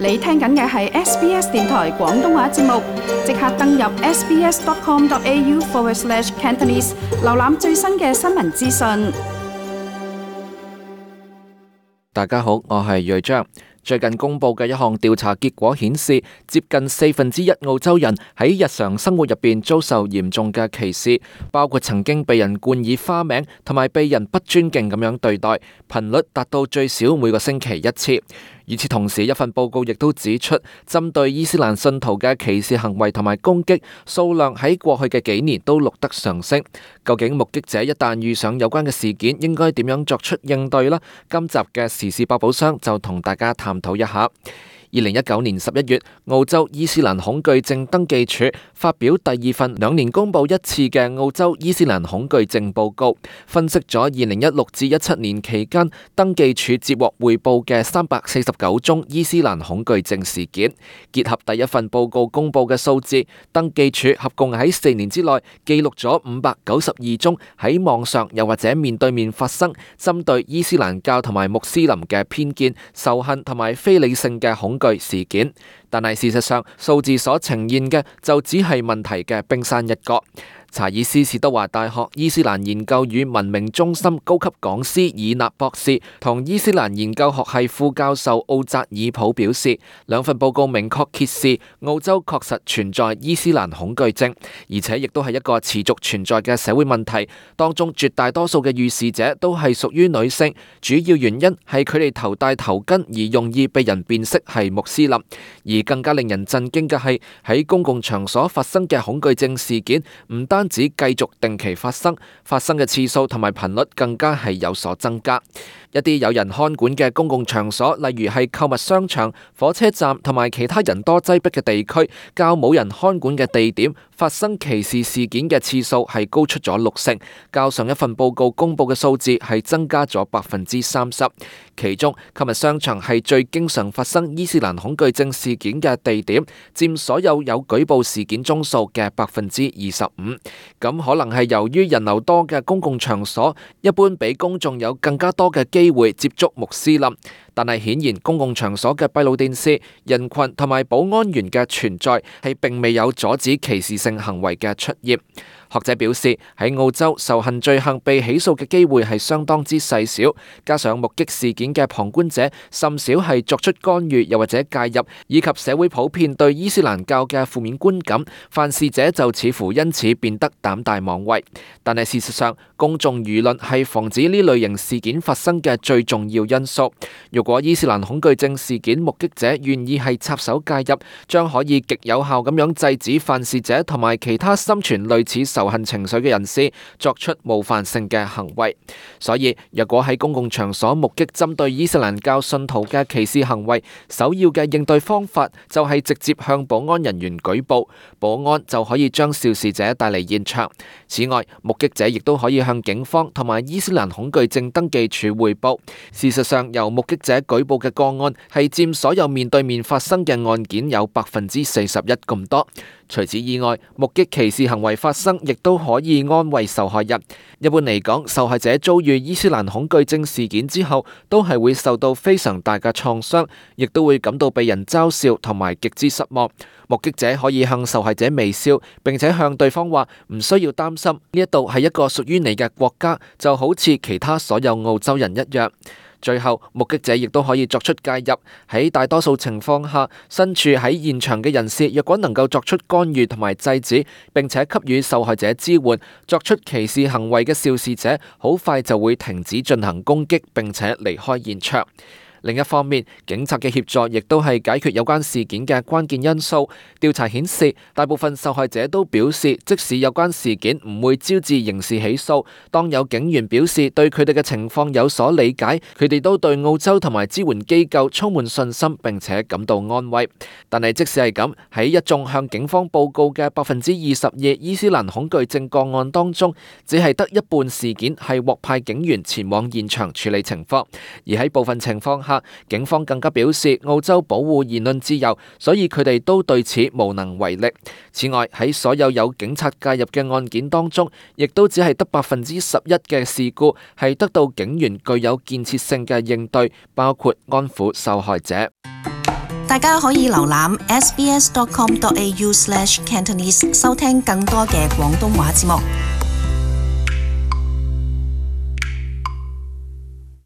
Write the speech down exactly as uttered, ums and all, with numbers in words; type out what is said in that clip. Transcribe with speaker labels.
Speaker 1: 你聽緊嘅係 S B S 電台廣東話節目，即刻登入 sbs.com.au forward slash Cantonese， 瀏覽最新嘅新聞資訊。
Speaker 2: 大家好，我係瑞章。最近公布嘅一項調查結果顯示，接近四分之一澳洲人喺日常生活入邊遭受嚴重嘅歧視，包括曾經被人冠以花名，同埋被人不尊敬咁樣對待，頻率達到最少每個星期一次。與此同時，一份報告亦都指出，針對伊斯蘭信徒嘅歧視行為同埋攻擊數量喺過去嘅幾年都錄得上升。究竟目擊者一旦遇上有關嘅事件，應該點樣作出應對呢？今集嘅時事百寶箱就同大家探討一下。二零一九年十一月，澳洲伊斯蘭恐懼症登記處發表第二份兩年公佈一次嘅澳洲伊斯蘭恐懼症報告，分析咗二零一六至一七年期間登記處接獲匯報嘅三百四十九宗伊斯蘭恐懼症事件。結合第一份報告公佈嘅數字，登記處合共喺四年之內記錄咗五百九十二宗喺網上又或者面對面發生針對伊斯蘭教同埋穆斯林嘅偏見、仇恨同埋非理性嘅恐懼事件，但係事實上數字所呈現嘅就只係問題嘅冰山一角。查爾斯士德華大學伊斯蘭研究與文明中心高級講師爾納博士同伊斯蘭研究學系副教授奧扎爾普表示，兩份報告明確揭示澳洲確實存在伊斯蘭恐懼症，而且亦都係一個持續存在嘅社會問題。當中絕大多數嘅遇事者都係屬於女性，主要原因係佢哋頭戴頭巾而容易被人辨識係穆斯林。而更加令人震驚嘅係，喺公共場所發生嘅恐懼症事件唔單只繼續定期發生，發生嘅次數同埋頻率更加係有所增加。一啲有人看管嘅公共場所，例如係購物商場、火車站同埋其他人多擠迫嘅地區，較冇人看管嘅地點發生歧視事件嘅次數係高出咗六成，較上一份報告公布嘅數字係增加咗百分之三十。其中，購物商場係最經常發生伊斯蘭恐懼症事件嘅地點，佔所有有舉報事件宗數嘅百分之二十五。咁可能係由於人流多嘅公共場所，一般俾公眾有更加多嘅機會接觸穆斯林。但係顯然，公共場所嘅閉路電視、人群同埋保安員嘅存在係並未有阻止歧視性行為嘅出現。學者表示，喺澳洲仇恨罪行被起訴嘅機會係相當之細小，加上目擊事件嘅旁觀者甚少係作出干預又或者介入，以及社會普遍對伊斯蘭教嘅負面觀感，犯事者就似乎因此變得膽大妄為。但係事實上，公眾輿論係防止呢類型事件發生嘅最重要因素。如果伊斯蘭恐懼症事件目擊者願意係插手介入，將可以極有效咁樣制止犯事者同埋其他心存類似仇恨情緒嘅人士作出冒犯性嘅行為。所以，若果喺公共場所目擊針對伊斯蘭教信徒嘅歧視行為，首要嘅應對方法就係直接向保安人員舉報，保安就可以將肇事者帶嚟現場。此外，目擊者亦都可以向警方同埋伊斯蘭恐懼症登記處匯報。事實上，由目擊者舉報嘅個案係佔所有面對面發生嘅案件有百分之四十一咁多。除此以外，目擊歧視行為發生亦都可以安慰受害人。一般嚟講，受害者遭遇伊斯蘭恐懼症事件之後，都係會受到非常大嘅創傷，亦都會感到被人嘲笑同埋極之失望。目擊者可以向受害者微笑，並且向對方話唔需要擔心，呢一度係一個屬於你嘅國家，就好似其他所有澳洲人一樣。最後，目擊者亦都可以作出介入。喺大多數情況下，身處喺現場嘅人士若果能夠作出干預同埋制止，並且給予受害者支援，作出歧視行為嘅肇事者好快就會停止進行攻擊，並且離開現場。另一方面，警察嘅協助亦都係解決有關事件嘅關鍵因素。調查顯示，大部分受害者都表示，即使有關事件唔會招致刑事起訴，當有警員表示對佢哋嘅情況有所理解，佢哋都對澳洲同埋支援機構充滿信心，並且感到安慰。但係即使係咁，喺一眾向警方報告嘅百分之二十二伊斯蘭恐懼症個案當中，只係得一半事件係獲派警員前往現場處理情況，而喺部分情況下，警方更加表示澳洲保護言論自由，所以佢哋都對此無能為力。此外，喺所有有警察介入嘅案件當中，亦都只係得百分之十一嘅事故係得到警員具有建設性嘅應對，包括安撫受害者。
Speaker 3: 大家可以瀏覽 s b s dot com dot a u slash cantonese 收聽更多嘅廣東話節目。